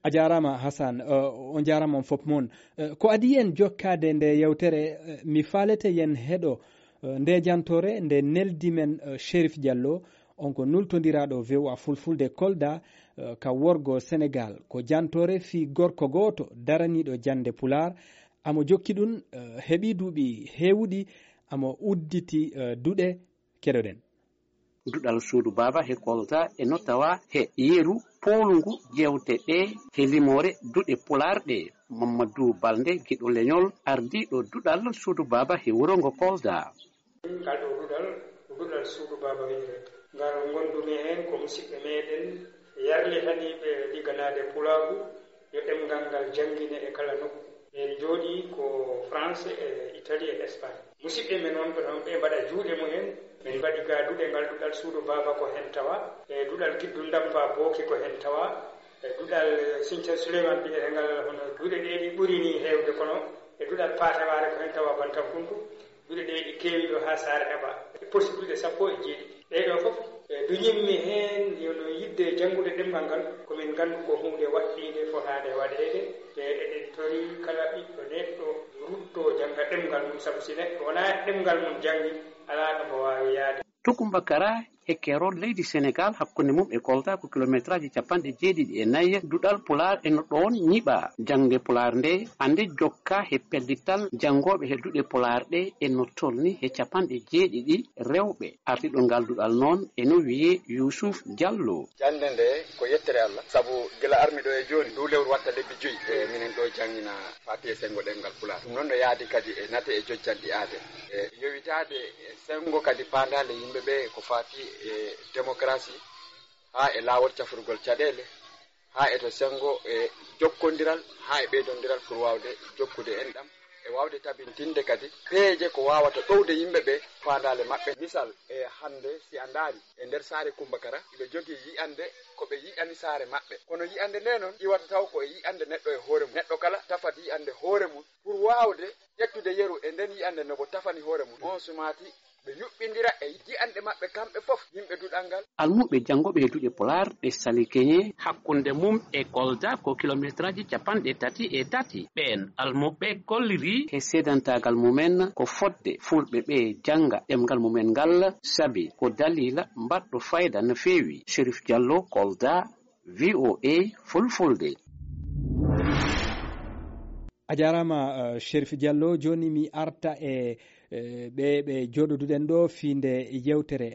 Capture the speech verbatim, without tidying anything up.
A jaaraama, Hasan. Eh, on jaaraama on fop mon. Eh, ko adii en jokkaade nde yewtere, eh, mi faalete yen heɗo, eh, nde jantoore nde neldi men, eh, Cherif Diallo, on ko nultondiraaɗo V O A Fulfulde Kolda, eh, ka worgo Senegaal. Ko jantoore fii gorko gooto daraniiɗo jannde Pulaar. Amo jokki ɗun, eh, heɓii duuɓi heewuɗi, amo udditi, eh, duɗe. Keɗoɗen. Duɗal suudu baaba he Kolda e no tawa he yeru poolngu jeewte ɗe he limoore duɗe Pulaar ɗe. Mamadou Balde, giɗo leñol, ardiiɗo duɗal suudu baaba he wuro ngo Kolda. Ngal ɗo duɗal, ko duɗal suudu baaba wiyetee. Ngal ngondumi heen ko musidɓe meɗen yarlitaniiɓe ligganaade Pulaagu, yo ɗemngal ngal janngine e kala nokku. En njooɗii ko France e Italie e Espagne. Musidɓe men wonɓe ɗon, ɓe mbaɗa juuɗe mumen. Min mbaɗi ga duɗe ngal duɗal suudu baaba ko heen tawa, e duɗal Kiddu Ndampa Booki ko heen tawa, e duɗal Sinthiou Souleymane mbiyetee ngal, hono duɗe ɗe ɗi ɓuri ni heewde, kono e duɗal Paate Waare ko heen tawa Bantakuntu. Duɗe ɗe ɗi keewi ɗo haa Saare Aba. E posi duɗe sappo e jeeɗiɗi. Ɗee ɗoo fof, e, duñinmi heen, yo no yiɗde janngude ɗemngal ngal, ko min nganndu ko huunde waɗɗiinde fotaande waɗeede. E eɗen tori kala ɓiɗɗo neɗɗo rutto jannga ɗemngal mum, sabu si neɗɗo wonaa ɗemngal mum janngi, alaa ɗo mo waawi yaade. To Kumbakara, e keerol leydi Senegaal, hakkunde mum e Kolda ko kilometraaji capanɗe jeeɗiɗi e nayi, duɗal Pulaar e no ɗoon ñiɓaa. Jaŋde Pulaar nde, ande jokka he pellital janngooɓe he duɗe Pulaar ɗe e no tolni he capanɗe jeeɗiɗi rewɓe. Ardiiɗo ngal duɗal noon e no wiyee Yuusuf Jallo. Jaŋde nde ko yettere Allah, sabu gila armi ɗo e jooni, ndu lewru watta lebbi joyi, e minen ɗo janngina Faatiya e senngo ɗemngal Pulaar. Ɗum noon no yaadi kadi e nate e jojjanɗi aade. E yowitaade e senngo kadi paandaale yimɓe ɓe ko faati e demokarasi, haa e laawol cafrugol caɗeele, haa e to senngo e jokkondiral, haa e ɓeydondiral pour waawde jokkude enɗam, e waawde tabintinde kadi peeje ko waawata ɗowde yimɓe ɓe faandaale maɓɓe. Misal, e hannde si a ndaari e nder saare Kumbakara, iɓe jogii yi'annde ko ɓe yi'ani saare maɓɓe. Kono yi'annde nde noon iwata taw ko e yi'annde neɗɗo e hoore mum. Neɗɗo kala tafat yi'annde hoore mum pour waawde ƴettude yeru e nden yi'annde no bo tafani hoore mum. On sumaati ɓe yuɓɓindira e yi'annde maɓɓe kamɓe fof, yimɓe duɗal ngal. Almuɓɓe janngooɓe he duɗe Pulaar ɗe Sali Keñe. Hakkunde mum e Kolda ko kilometraaji capanɗe tati e tati. Ɓeen almuɓɓe kolliri he seedantaagal mumen ko fodde Fulɓe ɓe jannga ɗemngal mumen ngal, sabi ko daliila mbaɗɗo fayda no feewi. Cherif Diallo, Kolda, V O A Fulfulde. A jaaraama, eh, Cherif Diallo. Jooni mi arta e, eh, ɓe, ɓe jooɗoduɗen ɗo fii nde yewtere.